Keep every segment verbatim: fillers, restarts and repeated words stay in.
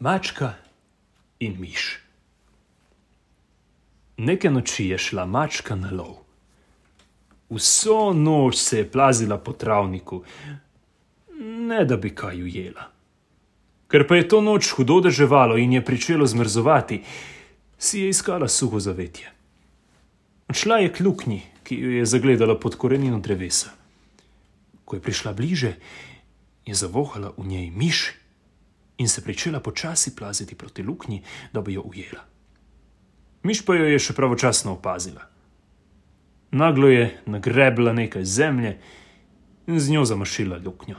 Mačka in miš. Neke noči je šla mačka na lov. Vso noč se je plazila po travniku, ne da bi kaj ujela. Ker pa je to noč hudo deževalo in je pričelo zmrzovati, si je iskala suho zavetje. Šla je k luknji, ki jo je zagledala pod korenino drevesa. Ko je prišla bliže, je zavohala v njej miš in se pričela počasi plaziti proti luknji, da bi jo ujela. Miš pa jo je še pravočasno opazila. Naglo je nagrebla nekaj zemlje in z njo zamašila luknjo.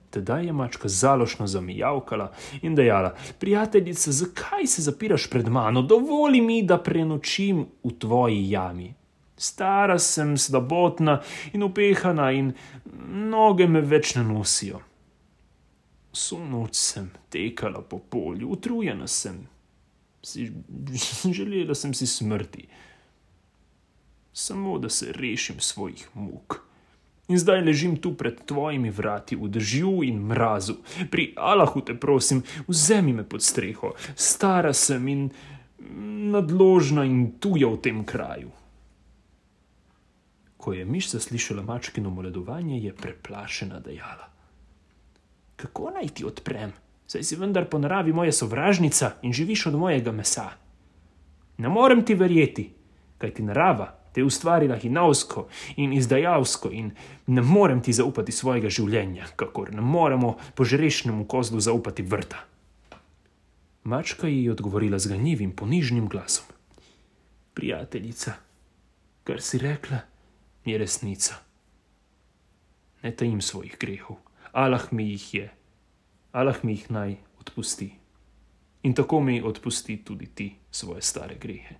Tedaj je mačka zalošno zamijavkala in dejala: "Prijateljica, zakaj se zapiraš pred mano? Dovoli mi, da prenočim v tvoji jami. Stara sem, slabotna in upehana in noge me več ne nosijo. Vso noč sem tekala po polju, utrujena sem. Si, želela sem si smrti. Samo, da se rešim svojih muk. In zdaj ležim tu pred tvojimi vrati v dežju in mrazu. Pri Allahu te prosim, vzemi me pod streho. Stara sem in nadložna in tuja v tem kraju." Ko je miš zaslišala mačkino moledovanje, je preplašena dejala: "Kako naj ti odprem? Saj si vendar po naravi moja sovražnica in živiš od mojega mesa. Ne morem ti verjeti, kajti narava te je ustvarila hinavsko in izdajalsko in ne morem ti zaupati svojega življenja, kakor ne moremo požrešnemu kozlu zaupati vrta." Mačka ji je odgovorila z ganljivim, ponižnim glasom: "Prijateljica, kar si rekla, je resnica. Ne tajim svojih grehov. Allah mi jih je. Allah mi jih naj odpusti. In tako mi odpusti tudi ti svoje stare grehe.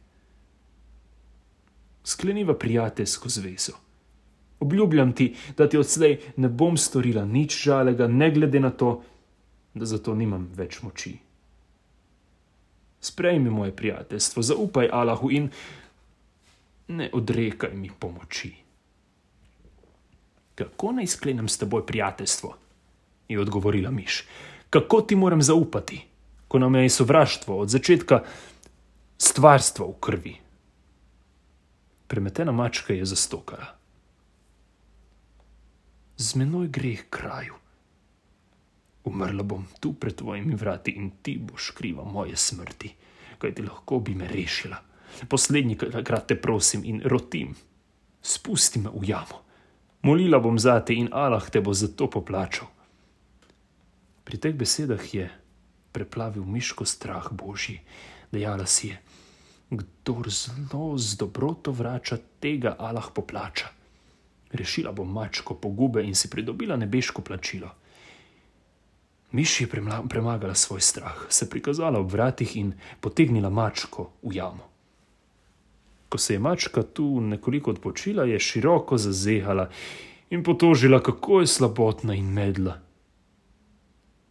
Skleniva prijateljsko zvezo. Obljubljam ti, da ti odslej ne bom storila nič žalega, ne glede na to, da zato nimam več moči. Sprejmi moje prijateljstvo, zaupaj Allahu in ne odrekaj mi pomoči." "Kako naj sklenem s teboj prijateljstvo?" je odgovorila miš. "Kako ti moram zaupati, ko nam je sovraštvo od začetka stvarstva v krvi?" Premetena mačka je zastokala: "Z menoj greh kraju. Umrla bom tu pred tvojimi vrati in ti boš kriva moje smrti, kajti lahko bi me rešila. Poslednji krat te prosim in rotim, spusti me v jamo. Molila bom zate in Allah te bo za to poplačal." Pri teh besedah je preplavil miško strah božji. Dejala si je: "Kdor zlo z dobroto vrača, tega Allah poplača. Rešila bom mačko pogube in si pridobila nebeško plačilo." Miš je premagala svoj strah, se prikazala ob vratih in potegnila mačko v jamo. Ko se je mačka tu nekoliko odpočila, je široko zazehala in potožila, kako je slabotna in medla.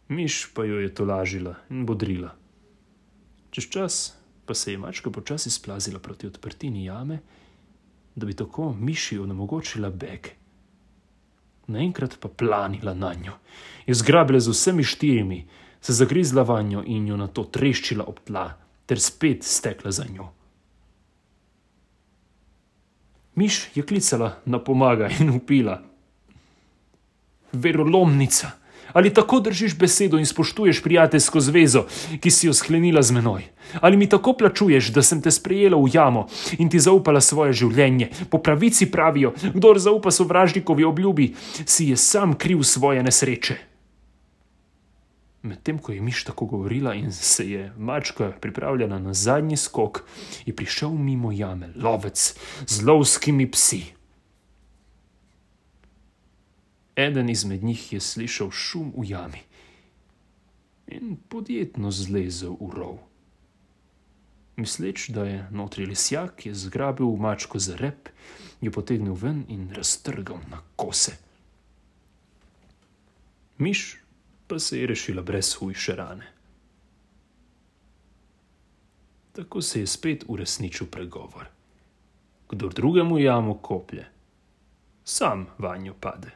Miš pa jo je tolažila in bodrila. Čez čas pa se je mačka počasi splazila proti odprtini jame, da bi tako miši onemogočila beg. Naenkrat pa planila nanjo, jo zgrabila z vsemi štirimi, se zagrizla vanjo in jo nato treščila ob tla, ter spet stekla za njo. Miš je klicala na pomagaj in vpila: "Verolomnica, ali tako držiš besedo in spoštuješ prijateljsko zvezo, ki si jo sklenila z menoj? Ali mi tako plačuješ, da sem te sprejela v jamo in ti zaupala svoje življenje? Po pravici pravijo, kdor zaupa sovražnikovi obljubi, si je sam kriv svoje nesreče." Medtem ko je miš tako govorila in se je mačka pripravljala na zadnji skok, je prišel mimo jame lovec z lovskimi psi. Eden izmed njih je slišal šum v jami in podjetno zlezel v rov. Misleč, da je notri lisjak, je zgrabil mačko za rep, jo potegnil ven in raztrgal na kose. Miš pa se je rešila brez hujše rane. Tako se je spet uresničil pregovor: "Kdor drugemu jamo koplje, sam vanjo pade."